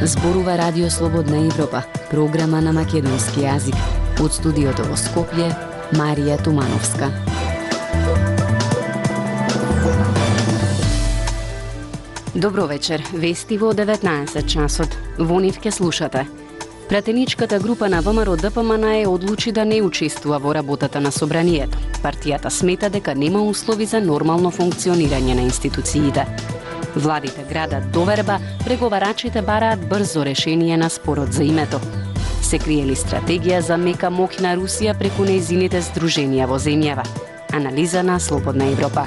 Зборува Радио Слободна Европа, програма на македонски јазик. Од студиото во Скопје, Марија Тумановска. Добро вечер, вести во 19 часот. Во нив ке слушате. Пратеничката група на ВМРО-ДПМН одлучи да не учествува во работата на собранието. Партијата смета дека нема услови за нормално функционирање на институциите. Владите градат доверба, преговарачите бараат брзо решение на спорот за името. Се крие ли стратегија за мека моќна Русија преку нејзините здруженија во земјава? Анализа на Слободна Европа.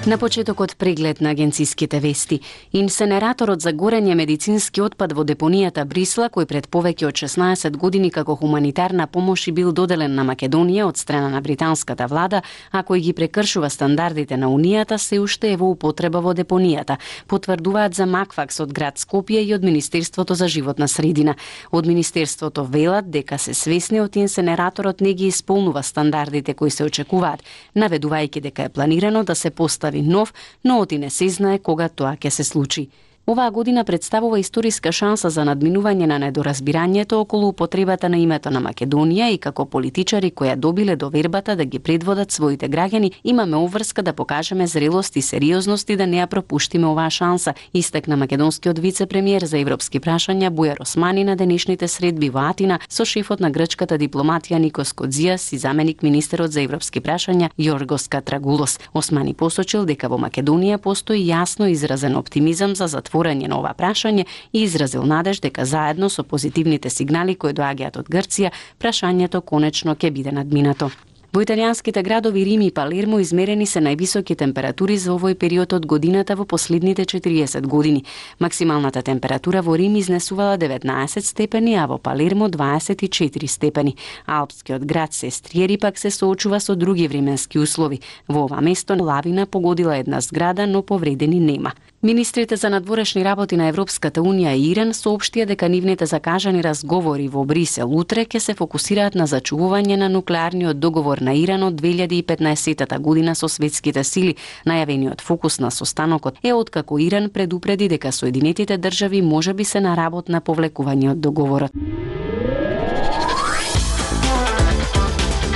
На почетокот преглед на агенциските вести. Инсенераторот за горење медицински отпад во депонијата Брисла, кој пред повеќе од 16 години како хуманитарна помош и бил доделен на Македонија од страна на британската влада, а кој ги прекршува стандардите на Унијата, се уште е во употреба во депонијата, потврдуваат за Макфакс од град Скопје и од Министерството за животна средина. Од Министерството велат дека се свесни од инсенераторот не ги исполнува стандардите кои се очекуваат, наведувајќи дека е планирано да се постави нов, но оти не се знае кога тоа ќе се случи. Оваа година представува историска шанса за надминување на недоразбирањето околу употребата на името на Македонија и како политичари кои ја добиле довербата да ги предводат своите граѓани, имаме обврска да покажеме зрелост и сериозност и да не ја пропуштиме оваа шанса, истакна македонскиот вице-премиер за европски прашања Бујар Османи на денешните средби во Атина со шефот на грчката дипломатија Никос Кодзијас и заменик министерот за европски прашања Јоргос Катрагулос. Османи посочил дека во Македонија постои јасно изразен оптимизам за затворање на ова прашање и изразил надеж дека заедно со позитивните сигнали кои доаѓаат од Грција, прашањето конечно ќе биде надминато. Во италијанските градови Рим и Палермо измерени се највисоки температури за овој период од годината во последните 40 години. Максималната температура во Рим изнесувала 19 степени, а во Палермо 24 степени. Алпскиот град Сестриери пак се соочува со други временски услови. Во ова место лавина погодила една зграда, но повредени нема. Министрите за надворешни работи на Европската Унија и Иран соопштија дека нивните закажани разговори во Брисел утре ќе се фокусираат на зачувување на нуклеарниот договор на Иран од 2015 година со светските сили. Најавениот фокус на состанокот е откако Иран предупреди дека Соединетите држави можеби се на работ на повлекување од договорот.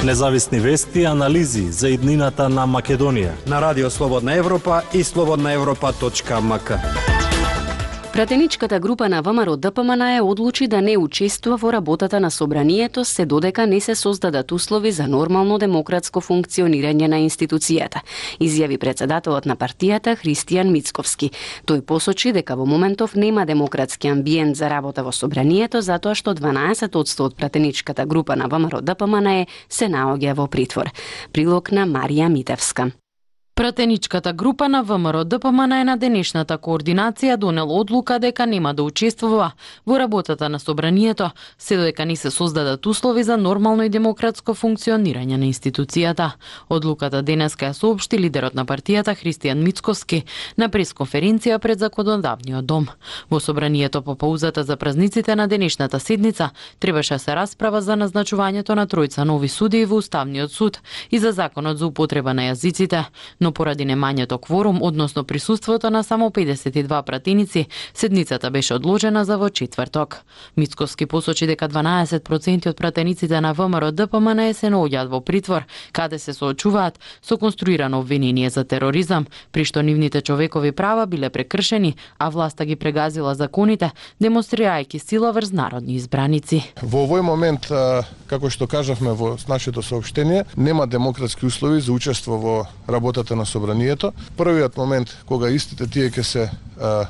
Независни вести и анализи за иднината на Македонија на Радио Слободна Европа и slobodnaevropa.mk. Пратеничката група на ВМРО-ДПМН одлучи да не учествува во работата на собранието, се додека не се создадат услови за нормално демократско функционирање на институцијата, изјави председателот на партијата Христијан Мицковски. Тој посочи дека во моментов нема демократски амбиент за работа во собранието, затоа што 12% од пратеничката група на ВМРО-ДПМН се наоѓа во притвор. Прилог на Марија Митевска. Пратеничката група на ВМРО-ДПМН на денешната координација донел одлука дека нема да учествува во работата на собранието, се додека не се создадат услови за нормално и демократско функционирање на институцијата. Одлуката денеска ја соопшти лидерот на партијата Христијан Мицковски на пресконференција пред Законодавниот дом. Во собранието по паузата за празниците на денешната седница требаше се расправа за назначувањето на тројца нови судии во Уставниот суд и за законот за употреба на јазиците. Но поради немањето кворум, односно присуството на само 52 пратеници, седницата беше одложена за во четврток. Мицковски посочи дека 12% од пратениците на ВМРО-ДПМН се наоѓаат во притвор, каде се соочуваат со конструирано обвинение за тероризам, при што нивните човекови права биле прекршени, а власта ги прегазила законите, демонстрирајќи сила врз народни избраници. Во овој момент, како што кажавме во нашето соопштение, нема демократски услови за учество во работата на собранието. Првиот момент кога истите тие ќе се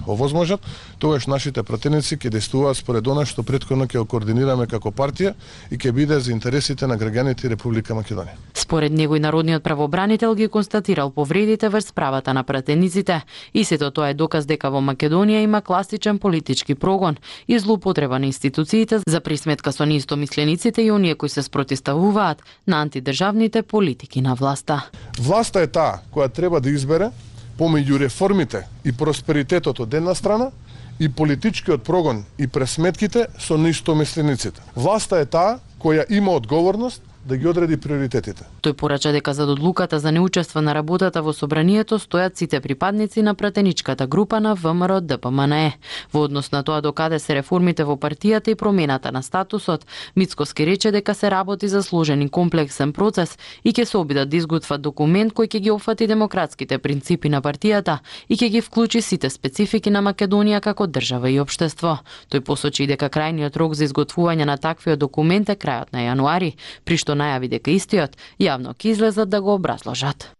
овозможат, тогаш нашите пратеници ќе действуваат според она што претходно ќе координираме како партија и ќе биде за интересите на граѓаните Република Македонија. Според него и народниот правобранител ги констатирал повредите врз правата на пратениците и сето тоа е доказ дека во Македонија има класичен политички прогон и злоупотреба на институциите за присметка со неистомислениците и оние кои се спротивставуваат на антидржавните политики на власта. Власта е таа која треба да избере помеѓу реформите и просперитетот од една страна и политичкиот прогон и пресметките со неистомислениците. Власта е таа која има одговорност да ги одреди приоритетите. Тој порача дека за одлуката за неучество на работата во собранието стојат сите припадници на пратеничката група на ВМРО ДПМНЕ. Во однос на тоа докаде се реформите во партијата и промената на статусот, Мицкоски рече дека се работи за сложен и комплексен процес и ќе се обидат да изготват документ кој ќе ги опфати демократските принципи на партијата и ќе ги вклучи сите специфики на Македонија како држава и општество. Тој посочи дека крајниот рок за изготвување на таквиот документ е крајот на јануари, при што најави дека истиот јавно ќе излезат да го образложат.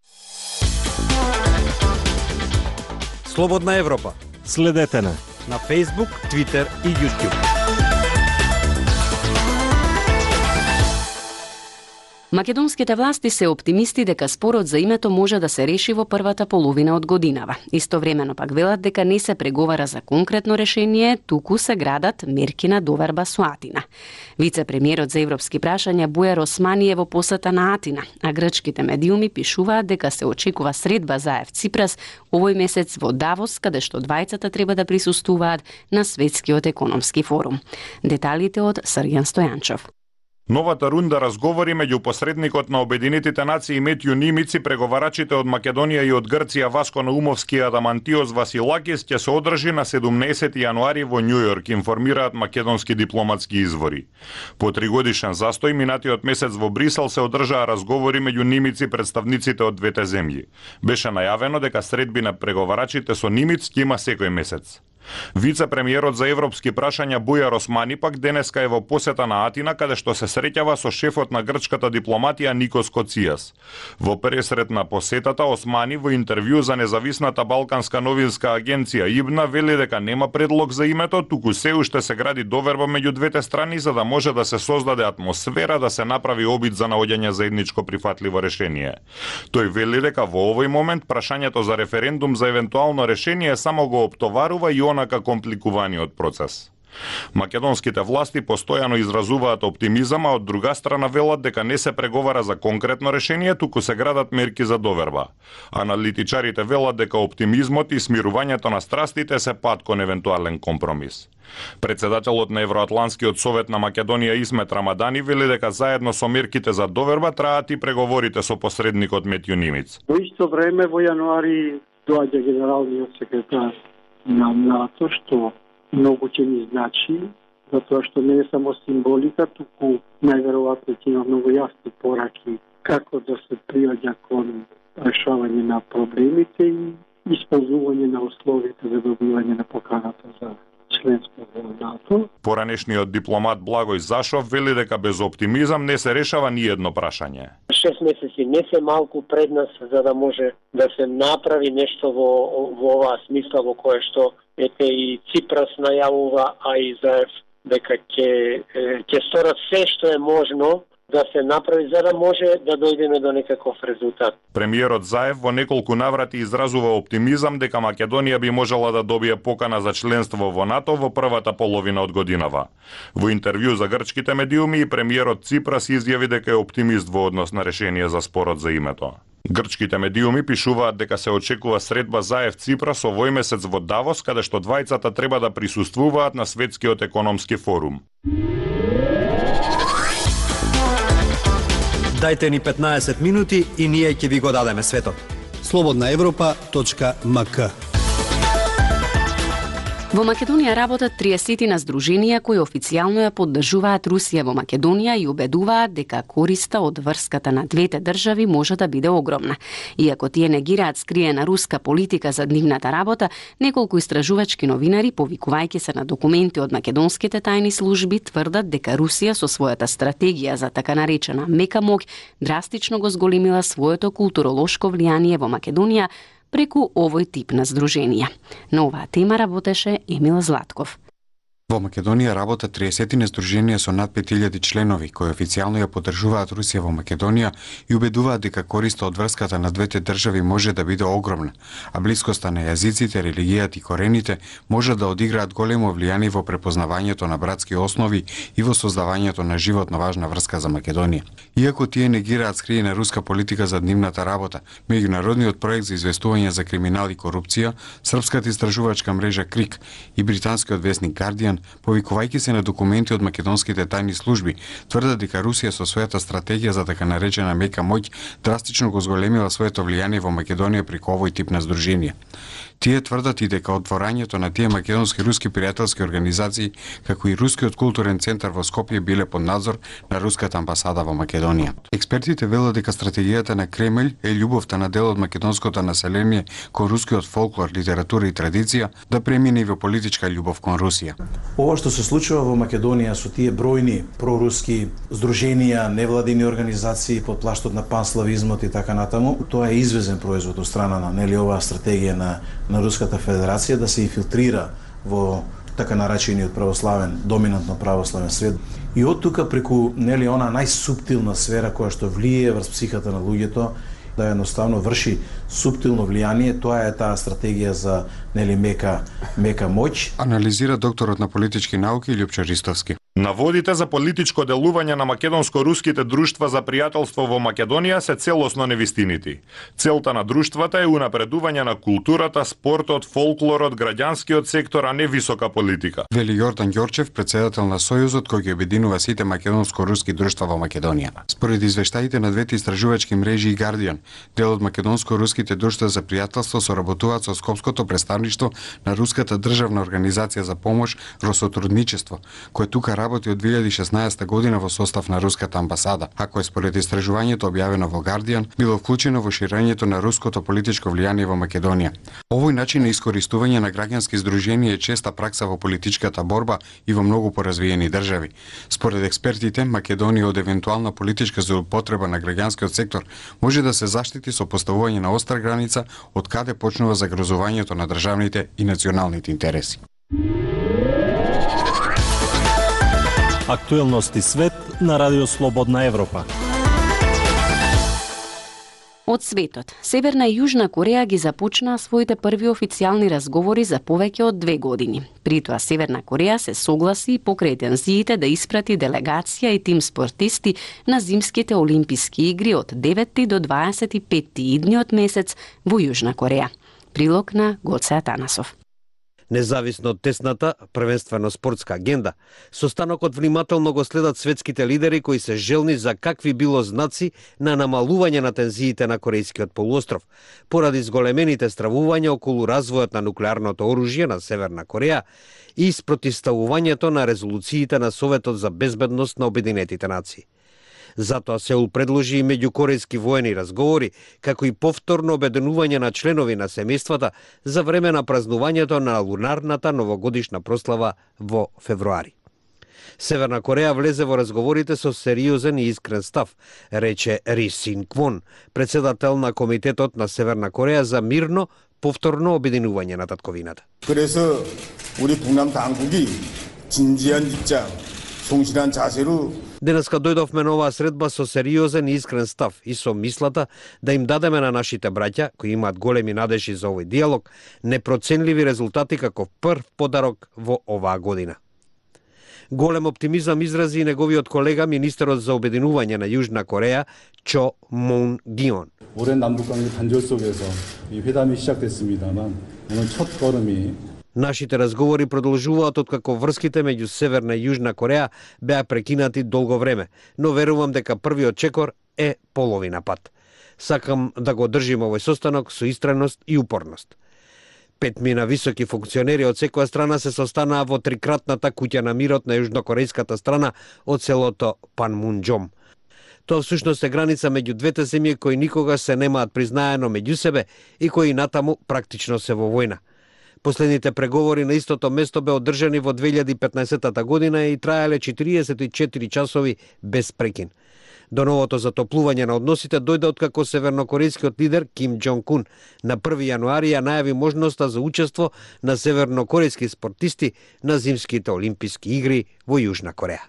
Слободна Европа. Следете на Facebook, Twitter и YouTube. Македонските власти се оптимисти дека спорот за името може да се реши во првата половина од годинава. Истовремено пак велат дека не се преговара за конкретно решение, туку се градат мерки на доверба со Атина. Вице-премиерот за европски прашања Бујар Османи е во посета на Атина, а грчките медиуми пишуваат дека се очекува средба Заев Ципрас овој месец во Давос, каде што двајцата треба да присуствуваат на Светскиот економски форум. Деталите од Срѓан Стојанчов. Новата рунда разговори меѓу посредникот на Обединетите нации Метју Нимици, преговарачите од Македонија и од Грција Васко Наумовски и Адамантиос Василакис ќе се одржи на 17 јануари во Њујорк, информираат македонски дипломатски извори. По 3-годишен застој минатиот месец во Брисел се одржаа разговори меѓу Нимици и представниците од двете земји. Беше најавено дека средби на преговарачите со Нимиц ќе има секој месец. Вице-премиерот за европски прашања Бујар Османи пак денеска е во посета на Атина, каде што се среќава со шефот на грчката дипломатија Никос Коцијас. Во пресрет на посетата, Османи во интервју за независната балканска новинска агенција ИБНА вели дека нема предлог за името, туку се уште се гради доверба меѓу двете страни за да може да се создаде атмосфера да се направи обид за наоѓање заедничко прифатливо решение. Тој вели дека во овој момент прашањето за референдум за евентуално решение само го оптоварува и онака компликуваниот процес. Македонските власти постојано изразуваат оптимизам, а од друга страна велат дека не се преговара за конкретно решение, туку се градат мерки за доверба. Аналитичарите велат дека оптимизмот и смирувањето на страстите се пат кон евентуален компромис. Председателот на Евроатланскиот совет на Македонија Исмет Рамадани вели дека заедно со мерките за доверба траат и преговорите со посредникот Метју Нимиц. Во исто време во јануари доаѓа генералниот секретар на НАТО, што многу ќе ни значи, затоа што не е само символика, туку најверојатно ќе има многу јасни пораки како да се приоѓа кон решавање на проблемите и исполнување на условите за добивање на поканата за членство во НАТО. Поранешниот дипломат Благој Зашов вели дека без оптимизам не се решава ни едно прашање. 6 месеци не се малку пред нас за да може да се направи нешто во оваа смисла во кое што ете и Ципрас најавува, а и Заев дека ќе сторат се што е можно да се направи за да може да дојдеме до некаков резултат. Премиерот Заев во неколку наврати изразува оптимизам дека Македонија би можела да добие покана за членство во НАТО во првата половина од годинава. Во интервју за грчките медиуми и премиерот Ципрас изјави дека е оптимист во однос на решение за спорот за името. Грчките медиуми пишуваат дека се очекува средба Заев Ципрас овој месец во Давос, каде што двајцата треба да присуствуваат на Светскиот економски форум. Дајте ни 15 минути и ние ќе ви го дадеме светот. slobodnaevropa.mk. Во Македонија работат 30 на здруженија кои официјално ја поддржуваат Русија во Македонија и убедуваат дека користа од врската на двете држави може да биде огромна. Иако тие негираат скриена руска политика за нивната работа, неколку истражувачки новинари, повикувајќи се на документи од македонските тајни служби, тврдат дека Русија со својата стратегија за така наречена мека моќ драстично го зголемила своето културолошко влијание во Македонија преку овој тип на здруженија. На оваа тема работеше Емил Златков. Во Македонија работат 30 здруженија со над 5000 членови кои официјално ја поддржуваат Русија во Македонија и убедуваат дека користа од врската на двете држави може да биде огромна, а блискоста на јазиците, религијата и корените може да одиграат големо влијание во препознавањето на братски основи и во создавањето на животно важна врска за Македонија. Иако тие негираат скриена руска политика за нивната работа, меѓународниот проект за известување за криминал и корупција, српската истражувачка мрежа КРИК и британскиот весник Guardian Гардијан, повикувајќи се на документи од македонските тајни служби, тврдат дека Русија со својата стратегија за така наречена мека моќ драстично го зголемила своето влијание во Македонија преку овој тип на здруженија. Тие тврдат и дека отворањето на тие македонски-руски пријателски организации, како и Рускиот културен центар во Скопје биле под надзор на руската амбасада во Македонија. Експертите велат дека стратегијата на Кремљ е љубовта на дел од македонското население кон рускиот фолклор, литература и традиција да премине и во политичка љубов кон Русија. Ова што се случува во Македонија со тие бројни проруски здруженија, невладини организации под плаштот на панславизмот и така натаму, тоа е извезен производ од страна на оваа стратегија на Руската Федерација да се инфилтрира во така наречениот православен, доминантно православен свет. И од тука преку она најсуптилна сфера која што влие врз психата на луѓето, да едноставно врши суптилно влијание, тоа е таа стратегија за мека моќ. Анализира докторот на политички науки Љупчо Ристовски. Наводите за политичко делување на македонско-руските друштва за пријателство во Македонија се целосно невистинити. Целта на друштвата е унапредување на културата, спортот, фолклорот, граѓанскиот сектор, а не висока политика. Вели Јордан Ѓорчев, председател на Сојузот кој ги обединува сите македонско-руски друштва во Македонија. Според извештаите на двете истражувачки мрежи и Гардијан, дел од македонско-руските друштва за пријателство соработуваат со Скопското представништво на Руската државна организација за помош Росотрудничество, кој тука работи од 2016 година во состав на руската амбасада, а кој според истражувањето објавено во Гардијан било вклучено во ширењето на руското политичко влијание во Македонија. Овој начин на искористување на граѓански здруженија е честа пракса во политичката борба и во многу поразвиени држави. Според експертите, Македонија од евентуална политичка злоупотреба на граѓанскиот сектор може да се заштити со поставување на остра граница од каде почнува загрозувањето на државните и националните интереси. Актуелности свет на Радио Слободна Европа. Од светот, Северна и Јужна Кореја ги започнаа своите први официјални разговори за повеќе од 2 години. При тоа Северна Кореја се согласи покрај тензиите да испрати делегација и тим спортисти на зимските олимписки игри од 9 до 25 идниот месец во Јужна Кореја. Прилог на Гоце Атанасов. Независно од тесната, првенствено спортска агенда, состанокот внимателно го следат светските лидери кои се желни за какви било знаци на намалување на тензиите на Корејскиот полуостров, поради зголемените стравувања околу развојот на нуклеарното оружје на Северна Кореја и спротивставувањето на резолуциите на Советот за безбедност на Обединетите нации. Затоа Сеул предложи и меѓукорејски воени разговори, како и повторно обединување на членови на семејствата за време на празнувањето на лунарната новогодишна прослава во февруари. Северна Кореја влезе во разговорите со сериозен и искрен став, рече Ри Син Квон, председател на Комитетот на Северна Кореја за мирно повторно обединување на татковината. 그래서 우리 북남 당국이 진지한 입장, 성실한 자세로 Денеска дојдовме на оваа средба со сериозен и искрен став и со мислата да им дадеме на нашите браќа, кои имаат големи надежи за овој диалог, непроценливи резултати како прв подарок во оваа година. Голем оптимизам изрази и неговиот колега, министерот за обединување на Јужна Кореја, Чо Мун Гион. 오랜 남북관계 단절 속에서 이 회담이 시작됐습니다만 오늘 첫 걸음이 Нашите разговори продолжуваат откако врските меѓу Северна и Јужна Кореја беа прекинати долго време, но верувам дека првиот чекор е половина пат. Сакам да го држим овој состанок со истреност и упорност. 5 високи функционери од секоја страна се состанаа во трикратната куќа на мирот на јужнокорејската страна од селото Панмунџом. Тоа всушност е граница меѓу двете земји кои никогаш се немаат признаено меѓу себе и кои натаму практично се во војна. Последните преговори на истото место бе одржани во 2015 година и траеле 44 часови без прекин. До новото затоплување на односите дојде откако севернокорејскиот лидер Ким Џонг Ун на 1 јануари ја најави можноста за учество на севернокорејски спортисти на зимските олимписки игри во Јужна Кореја.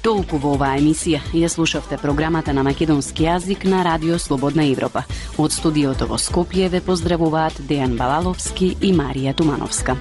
Толку во оваа емисија. Ја слушавте програмата на македонски јазик на Радио Слободна Европа. Од студиото во Скопје ве поздравуваат Дејан Балаловски и Марија Тумановска.